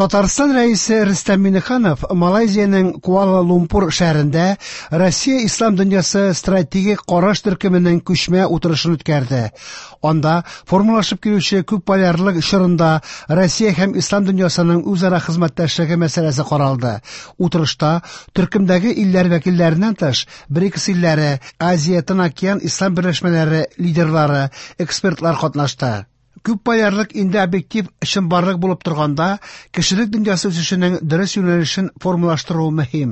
Татарстан Рәисе Рөстәм Миңнеханов Малайзиянең Куала-Лумпур шәһәрендә Россия ислам дөньясы стратегик караш төркеменең күчмә утырышын үткәрде. Анда формалашып килүче күпполярлык чорында Россия һәм ислам дөньясының үзара хезмәттәшлеге мәсьәләсе каралды. Утырышта төркемдәге илләр вәкилләреннән тыш, БРИКС илләре, Азия Тын океан ислам берләшмәләре лидерлары, экспертлар катнашты. Күпполярлык инде объектив чынбарлык булып торганда, кешелек дөньясы үсешенең дөрес юнәлешен формалаштыру мөһим.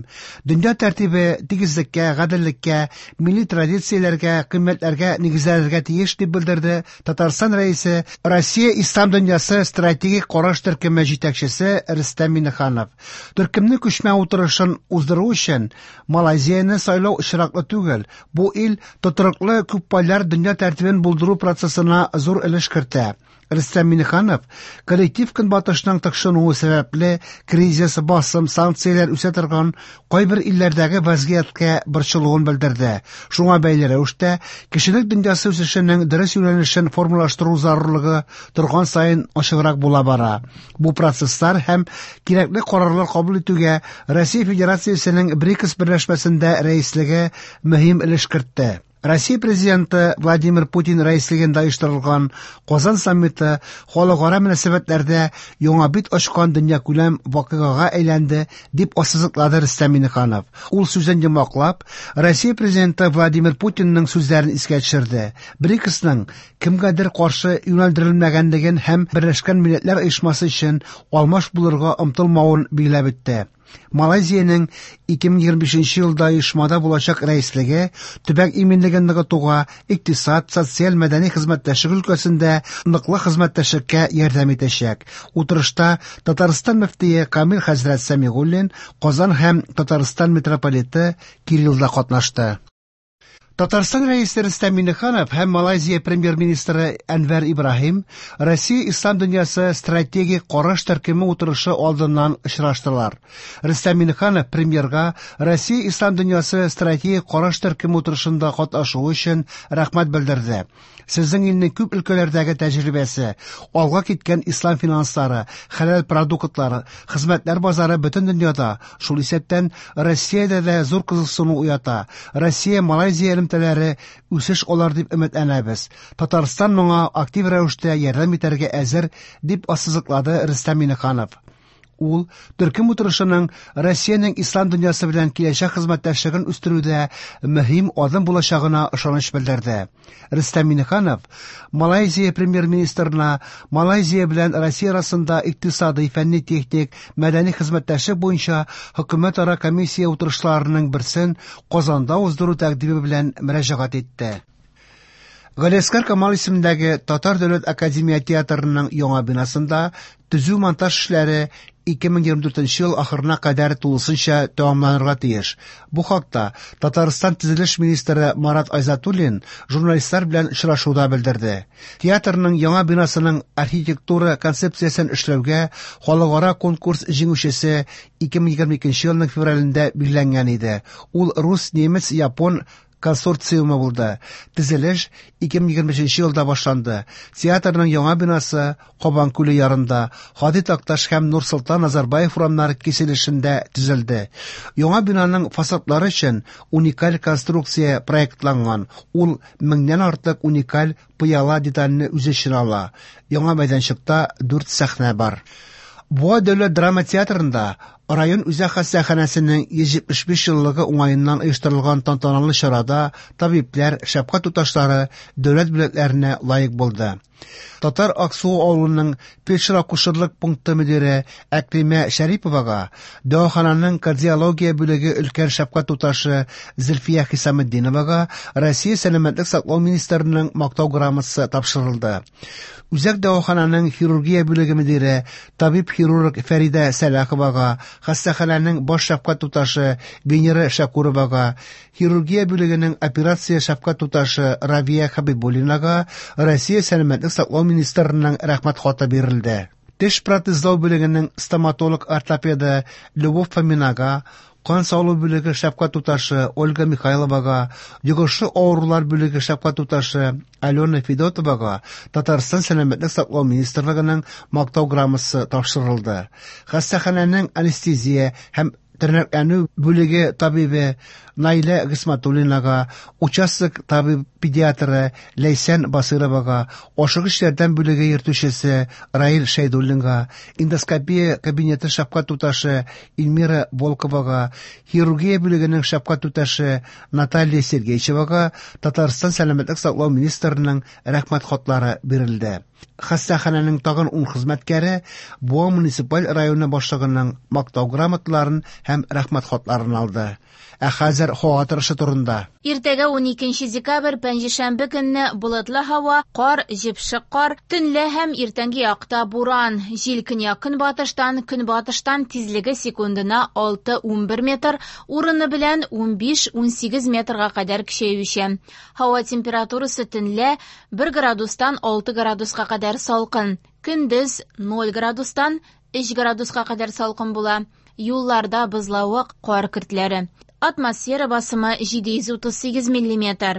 Дөнья тәртибе тигезлеккә, гаделлеккә, милли традицияләргә, кыйммәтләргә нигезләнергә тиеш, дип белдерде Татарстан Рәисе, Россия ислам дөньясы стратегик караш төркеме җитәкчесе Рөстәм Миңнеханов. Төркемнең күчмә утырышын уздыру өчен Малайзияне сайлау очраклы түгел. Бу ил тотрыклы күпполяр дөнья тәртибен булдыру процессына зур өлеш кертә. Рөстәм Миңнеханов коллектив Көнбатышның тыкшынуы сәбәпле кризис, басым, санкцияләр үсә торган кайбер илләрдәге вазгыятькә борчылуын белдерде. Шуңа бәйле рәвештә кешелек дөньясы үсешенең дөрес юнәлешен формалаштыру зарурлыгы торган саен ачыграк була бара. Бу процесслар һәм кирәкле карарлар кабул итүгә Россия Федерациясенең БРИКС берләшмәсендә рәислеге мөһим өлеш кертте. Россия Президенты Владимир Путин рәислегендә оештырылган Казан саммиты халыкара мөнәсәбәтләрдә яңа бит ачкан дөньякүләм вакыйгага әйләнде, дип ассызыклады Рөстәм Миңнеханов. Ул сүзен йомгаклап, Россия Президенты Владимир Путинның сүзләрен искә төшерде. БРИКСның кемгәдер каршы юнәлдерелмәгәнлеген һәм Берләшкән Милләтләр Оешмасы өчен алмаш булырга омтылмавын билгеләп үтте. Малайзиянең 2025 елда оешмада булачак рәислеге төбәк иминлеген ныгытуга, икътисад, социаль, мәдәни хезмәттәшлек өлкәсендә ныклы хезмәттәшлеккә ярдәм итәчәк. Утырышта Татарстан мөфтие Камил хәзрәт Сәмигуллин, Казан һәм Татарстан митрополиты Кирилл да катнашты. Татарстан Рәисе Рөстәм Миңнеханов һәм Малайзия премьер-министры Әнвәр Ибраһим Россия ислам дөньясы стратегик караш төркеме утырышы алдыннан очраштылар. Рөстәм Миңнеханов премьерга Россия ислам дөньясы стратегик караш төркеме утырышында катнашуы өчен рәхмәт белдерде. Сезнең илнең күп өлкәләрдәге тәҗрибәсе, алга киткән ислам финанслары, хәләл продуктлары, хезмәтләр базары бөтен дөньяда, шул исәптән Россиядә дә зур кызыксыну уята. Россия-Малайзия элемтәләре үсеш алыр дип өметләнәбез. Татарстан моңа актив рәвештә ярдәм итәргә әзер, дип ассызыклады Рөстәм Миңнеханов. Ул төркем утырышының Россиянең ислам дөньясы белән киләчәк хезмәттәшлеген үстерүдә мөһим адым булачагына ышаныч белдерде. Рөстәм Миңнеханов Малайзия премьер-министрына Малайзия белән Россия арасында икътисадый, фәнни-техник, мәдәни хезмәттәшлек буенча хөкүмәтара комиссия утырышларының берсен Казанда уздыру тәкъдиме белән мөрәҗәгать итте. Галиәсгар Камал исемендәге Татар дәүләт академия театрының яңа бинасында төзү-монтаж эшләре 2024 ел ахырына кадәр тулысынча тәмамланырга тиеш. Бу хакта Татарстан төзелеш министры Марат Айзатуллин журналистлар белән очрашуда белдерде. Театрның яңа бинасының архитектура концепциясен эшләүгә халыкара конкурс җиңүчесе 2022 елның февралендә билгеләнгән иде. Ул рус, немец, япон консорциумы булды. Төзелеш 2023 елда башланды. Театрның яңа бинасы Кабан күле ярында, Һади Такташ һәм Нурсолтан Назарбаев урамнары киселешендә төзелде. Яңа бинаның фасадлары өчен уникаль конструкция проектланган. Ул меңнән артык уникаль пыяла детальне үз эченә ала. Яңа мәйданчыкта дүрт сәхнә бар. Буа дәүләт драма театрында район үзәк хастаханәсенең 175 еллыгы уңаеннан оештырылган тантаналы чарада табибләр, шәфкать туташлары дәүләт бүләкләренә лаек булды. Татар Аксуы авылының фельдшер-акушерлык пункты мөдире Әклимә Шәриповага, дәвахананың кардиология бүлеге өлкән шәфкать туташы Зөлфия Хисаметдиновага Россия сәламәтлек саклау министрының мактау грамотасы тапшырылды. Үзәк дәвахананың хирургия бүлеге мөдире, табиб-хирург Фәридә Сәлаховага, хастаханәнең баш шәфкать туташы Венера Шәкуровага, хирургия бүлегенең операция шәфкать туташы Равия Хәбибуллинага Россия сәламәтлек саклау министрының рәхмәт хаты бирелде. Теш протезлау бүлегенең стоматолог-ортопеды Любовь Фоминага, кан салу бүлеге шәфкать туташы Ольга Михайловага, йогышлы авырулар бүлеге шәфкать туташы Алена Федотовага Татарстан Сәламәтлек саклау министрлыгының Мактау грамотасы тапшырылды. Хастаханәнең анестезия һәм тернәкләнү бүлеге табибе Наилә Гыйсматуллинага, участок табиб-педиатры Ләйсән Басыйровага, ашыгыч ярдәм бүлеге йөртүчесе Раил Шәйдуллинга, эндоскопия кабинеты шәфкать туташы Эльмира Волковага, хирургия бүлегенең шәфкать туташы Наталья Сергейчевага Татарстан Сәламәтлек саклау министрының Рәхмәт хатлары бирелде. Хастаханәнең тагын ун хезмәткәре Буа муниципаль районы башлыгының Мактау грамоталарын һәм Рәхмәт хатларын алды. Ә хәзер һава торышы турында. Иртәгә 12 декабрь пәнҗешәмбе көнне болытлы һава, кар, җепшек кар, төнлә һәм иртәнге якта буран. Җил көньяк-көнбатыштан, көнбатыштан тизлеге секундына 6-11 метр, урыны белән 15-18 метрга кадәр көчәючән. Һава температурасы төнлә 1 градустан 6 градуска кадәр салкын, көндез 0 градустан 3 градуска кадәр салкын була. Юлларда бозлавык, кар көртләре. Атмосфера басымы 738 миллиметр.